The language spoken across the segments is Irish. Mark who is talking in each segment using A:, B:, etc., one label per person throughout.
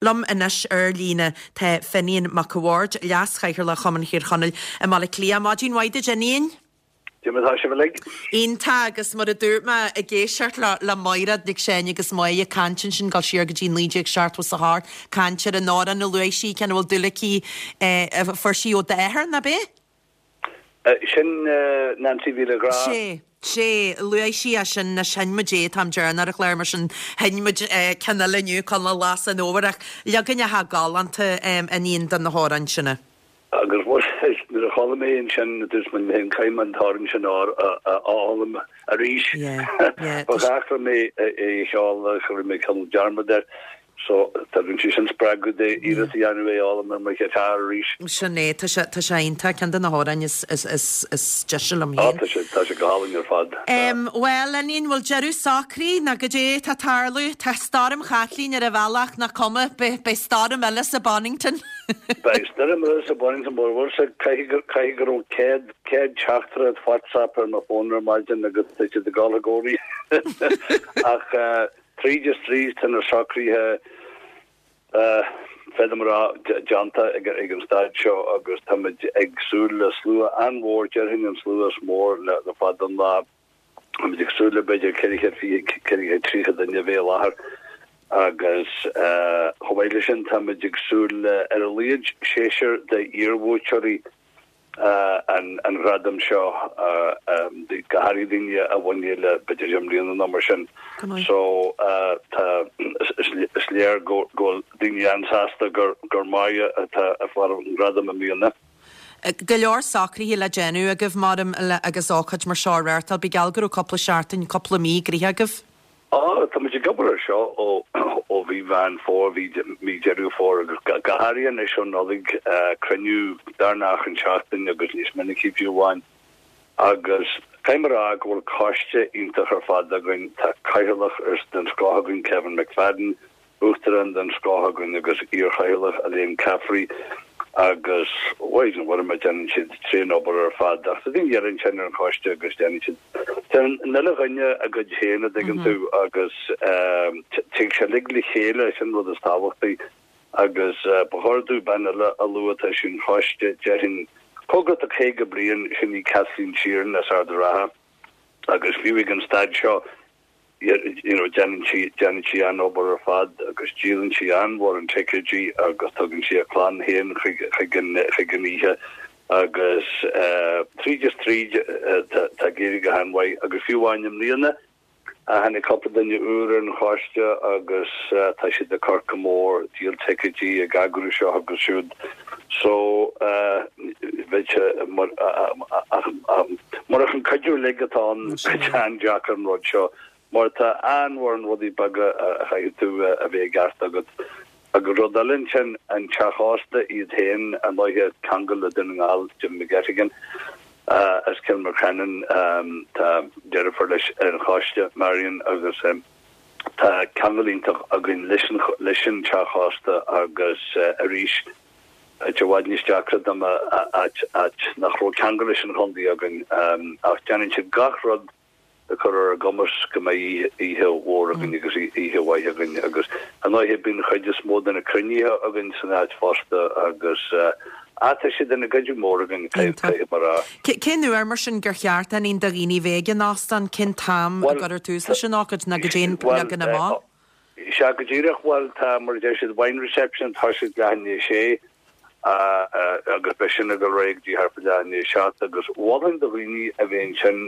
A: Liom anois ar líne tá Finian Mac a' Bhaird, Leas-Chathaoirleach Chumann Thír Chonaill i mBaile Átha Cliath. Maidin mhaith duit, Fhinian.
B: Cad é mar atá sibh uilig?
A: Iontach, agus mar a dúirt mé, ag éisteacht le le Maighread Nic Seáin agus Máire ag caint ansin, dul siar go dtí 1978, caint ar an amhrán a luaigh sí, ceann a bhfuil dúil aici, a fuair sí ó d'athair, nach b'é?
B: Sin Nancy Mhíle Ghrá.
A: Sé, sé, luaigh sí é sin, anois sheinn muid é, táim deireanach ar an chlár mar sin sheinn muid ceann eile inniu, Coinleach Ghlas an Fhómhair, ach leaganacha galánta a Fhinian de na hamhráin sin.
B: Agus nuair a chuala mé ansin, dúirt mé liom féin, caithfidh mé an t-amhrán sin a fhoghlaim arís. Ba dheacair liom é a cheol ach rinne mé cineál dearmad air. So, tugann sé sin spreagadh domh iarracht a dhéanamh é a fhoghlaim ar mo ghiotár arís.
A: Sin é, tá sé, tá sé iontach, ceann de na hamhráin is, is, is, is deise liom
B: féin. Á, tá sé, tá sé go hálainn ar fad.
A: Em, bhuel, a Fhinian, bhfuil deireadh socraithe, nó goidé atá ag tarlú? Tá Stoirm Chaitlín ar an bhealach, nach cuma, beidh, beidh stoirm eile sa Bonnington.
B: Beidh stoirm eile sa Bonnington, but bhfuil sé, caithfidh go, caithfidh go raibh 100, 100 teachtaireacht WhatsApp ar mo fón ar maidin agus tá siad ag dul i gcónaí. Ach, eh, Tríd is tríd, tá na socruithe, féadaim a rá, déanta ag an staid seo agus táimid ag súil le slua an-mhór, déarfainn an slua is mó le fada an lá. Táimid ag súil le b'fhéidir 420, 430 duine a bheith i láthair agus chomh maith leis sin táimid ag súil le ar a laghad seisear d'iarbhuaiteoirí an ghradam seo, go háirithe daoine a bhain é le b'fhéidir deich mbliana nó mar sin. So tá, is léir go bhfuil daoine an-sásta gur Máire atá ag fáil an gradam i mbliana.
A: Go leor socruithe le déanamh agaibh, maram, agus ócáid mar seo á reáchtáil. Ba gheall go raibh cúpla seachtain, cúpla mí gnoitheach agaibh.
B: Á, tá muid ag obair air seo ó ó mhí Mheán Fómhair, mhí mí Deireadh Fómhair agus go háirithe anois ó Nollaig, cruinniú beagnach achan seachtain agus níos minicí fiú amháin. Agus caithfidh mé a rá go bhfuil coiste iontach ar fad againn, tá cathaoirleach den scoth againn, Kevin McFadden, Uachtarán den scoth againn agus iar-chathaoirleach Elaine Caffrey agus Mhaighdean Mhuire déanann siad tréan-obair ar fad ach tá daoine eile ansin ar an choiste agus déanann siad déanann an uile dhuine a gcuid féin a dtuigeann tú agus tig sé uilig le chéile sin an rud is tábhachtaí agus ba chóir domh bean eile a lua atá ar an choiste déarfainn cóngarach do 50 bliain sin í Kathleen Sheeran as Ard an Rátha agus fiú ag an staid seo you know déanann sí déanann sí an-obair ar fad agus díolann sí an-mhórán ticéidí agus tugann sí a clann féin chuig chuig an chuig an oíche agus eh tríd is tríd eh tá tá ag éirí go han-mhaith agus fiú amháin i mbliana tháinig cúpla duine úr ar an choiste agus eh tá siad ag cur go mór díol ticéidí ag eagrú seo agus siúd so eh bheadh sé mar ach Murach an cuidiú uilig atá ann, bheadh sé an-deacair an rud seo, mar tá an-mhórán rudaí beaga a chaithfidh tú a bheith i gceart agat. Agus rud eile ansin, an teach ósta iad féin, ar ndóighe, ceangal le Dún na nGall, Jim McGettigan as Cill Mocheannainn, tá deirfiúr leis ar an choiste, Marion, agus tá ceangal iontach againn leis an teach ósta agus arís, Áit i bhfad níos deacra dá mba áit áit nach raibh ceangal leis an chontae againn ach déanann siad gach rud le cur ar ár gcumas go mbeidh oíche mhór againn agus oíche mhaith againn agus ar ndóighe bíonn an chuid is mó de na cruinnithe againn san áit fosta agus ah tá siad ina gcuidiú mór againn caithfidh mé a rá.
A: Cén uair mar sin gur cheart a Fhinian do dhaoine bheith ag an óstán? Cén t-am a gcuirtear tús leis an ócáid nó goidé an leagan amach?
B: Sea, go díreach. Bhuel, tá, mar a deir siad, wine reception, tá siad leath i ndiaidh a sé agus beidh sin ag dul ar aghaidh go dtí thart fá leath i ndiaidh a seacht agus mholfainn do dhaoine a bheith ansin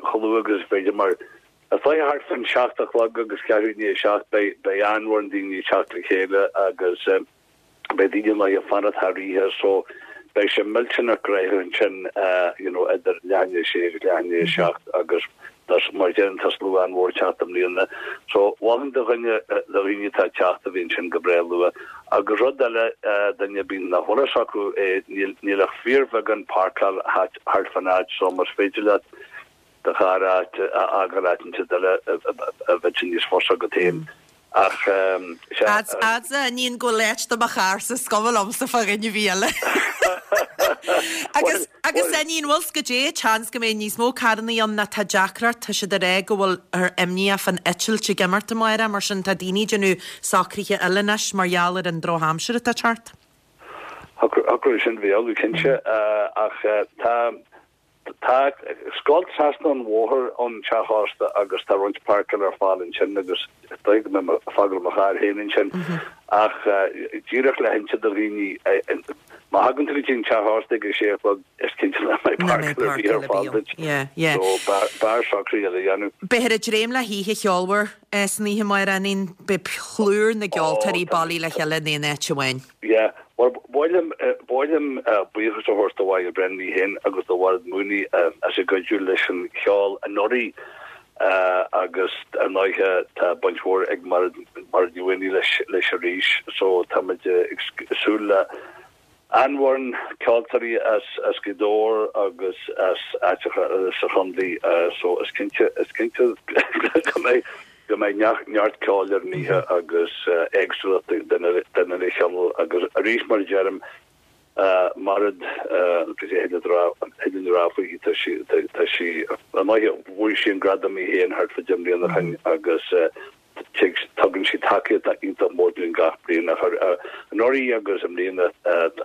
B: chomh luath agus is féidir mar is dóiche thart fán seacht a chlog agus ceathrú i ndiaidh a seacht beidh beidh an-mhórán daoine ag teacht le chéile agus beidh daoine in ann fanacht thar oíche so beidh sé millteanach gnoitheach ansin you know idir leath i ndiaidh a sé agus leath i ndiaidh a seacht agus mar a deirim tá slua an-mhór ag teacht i mbliana so mholfainn do dhuine do dhaoine atá ag teacht a bheith ansin go breá luath agus rud eile duine ar bith nach bhfuil fhios acu é níl níl ach fíorbheagán páirceáil thart fán áit so más féidir leat do charr a fhágáil áit inteacht eile a bheadh sé níos fusa agat féin. Ach
A: sea. Fhad a Fhinian go bhfuil áit do mo charrsa is cuma liomsa fá dhuine ar bith eile. Agus, agus a Iníon, bhfuil 's goidé, seans go mbeidh níos mó carrannaí ann nó tá deacracht, tá siad ag rá go bhfuil ár imníoch fán eitilt ag imeacht amárach, mar sin tá daoine ag déanamh socruithe eile anois mar gheall ar an drochaimsir atá ag teacht.
B: Thiocfadh sin bheith amhlaidh cinnte, ach tá tá scoilt trasna an bhóthair ón teach ósta agus tá roinnt páirceáil ar fáil ansin agus is dóigh go mbeidh mé ag fágáil mo charr féin ansin ach díreach le hinse do dhaoine má thagann tú go dtí an teach ósta ag a sé a chlog is cinnte nach mbeidh páirceáil ar bith ar fáil duit so b'fhearr socruithe eile a dhéanamh.
A: Beifear ag dréim le hoíche cheolmhar san oíche amárach, a Iníon, beidh plúr na gceoltóirí bailithe le chéile in aon áit amháin.
B: Yeah, bhuel, ba mhaith liom, ba mhaith liom buíochas a thabhairt do Mháire Brennan í féin agus do Mhairéad Mooney as a gcuidiú leis an cheol anuraidh agus ar ndóighe tá baint mhór ag Mairéad, Mairéad Ní Mhaonaigh leis, leis arís so táimid ag súil le an-fhoireann ceoltóirí as, as Gaoth Dobhair agus as áiteacha eile sa chontae so is cinnte, is cinnte go mbeidh go mbeidh neart ceoil ar an oíche agus éagsúlacht den uile chineál agus arís mar a deirim, Mairéad, cad é a thig linn a rá faoi, tá sí, tá sí, ar ndóighe bhuaigh sí an gradam í féin thart fá deich mbliana ó shin agus tugann sí tacaíocht iontach mór dúinn gach bliain ach anuraidh agus i mbliana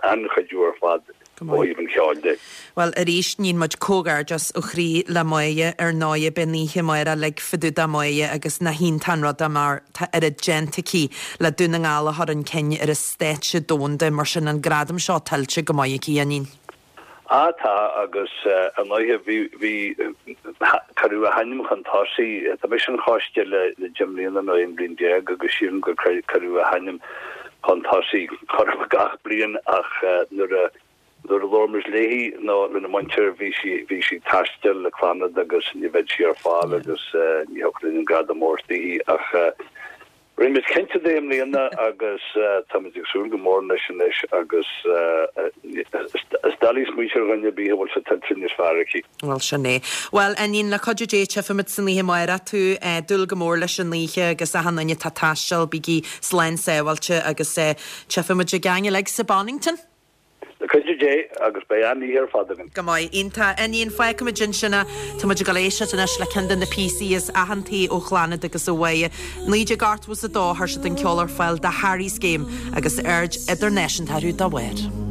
B: an-chuidiú ar fad. ó thaobh an cheoil de.
A: Bhuel, arís, níonn muid comhghairdeas ó chroí le Máire, ar ndóighe, beidh an oíche amárach uilig fá dtaobh de Mháire agus nach iontach an rud é mar tá oiread déanta aici le Dún na nGall a chur chun cinn ar an stáitse domhanda, mar sin an gradam seo tuillte go maith aici, a Iníon.
B: Á tá, agus ar ndóighe bhí, bhí, cuireadh a hainm chun tosaigh, tá mise ar an choiste le deich mbliana nó 11 bliain agus sílim gur cuireadh a hainm chun tosaigh chorradh gach bliain ach nuair a nuair a labhair muid léi nó lena muintir bhí sí bhí sí ag taisteal le Clannad agus ní bheadh sí ar fáil agus ní thiocfadh linn an gradam a thabhairt daoithi ach rinne muid cinnte de i mbliana agus táimid ag súil go mór leis anois agus is doiligh smaointiú ar dhuine ar bith a bhfuil sé tuillte níos fearr aici.
A: Bhuel, sin é. Bhuel, a Iníon, le cuidiú Dé, tchífimid san oíche amárach tú. Dúil go mór leis an oíche agus achan duine atá ag taisteal, bígí slán sábháilte agus tchífimid againn uilig sa Bonnington.
B: Le cuidiú Dé, agus beidh an-oíche ar fad againn.
A: Go maith. Iontach. A Iníon, fágfaimid ansin é. Tá muid ag dul éisteacht anois le ceann de na píosaí is aitheantaí ó Chlannad agus ó Mháire. 1982 chuir siad an ceol ar fáil do Harry's Game agus aird idirnáisiúnta orthu dá bharr.